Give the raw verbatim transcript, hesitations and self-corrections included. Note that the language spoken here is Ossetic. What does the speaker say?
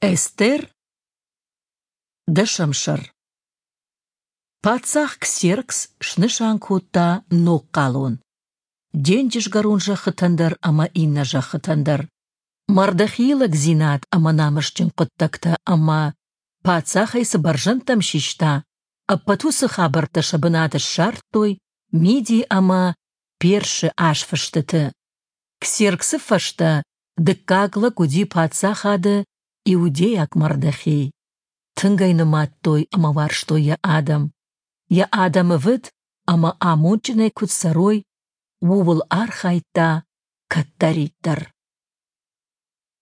Эстер, дӕсӕм сӕр. Паддзах Ксеркс снысан кодта ног хъалон. Денджызгӕрон зӕххытӕн дӕр ӕмӕ иннӕ зӕххытӕн дӕр. Мардохейы лӕгдзинад ӕмӕ намысджын хъуыддӕгтӕ ӕмӕ, паддзах ӕй цы бӕрзӕндтӕм систа, ӕппӕт уыцы хабӕрттӕ сӕ бынат ссардтой Миди ӕмӕ Персы азфыстыты. Ксерксы фӕстӕ дыккаг лӕг уыди паддзахады иудейаг Мардохей. Тынг ӕй нымадтой ӕмӕ уарзтой йӕ адӕм. Йӕ адӕм ӕвыд ӕмӕ амондджынӕй куыд цӕрой, ууыл архайдта кӕддӕриддӕр.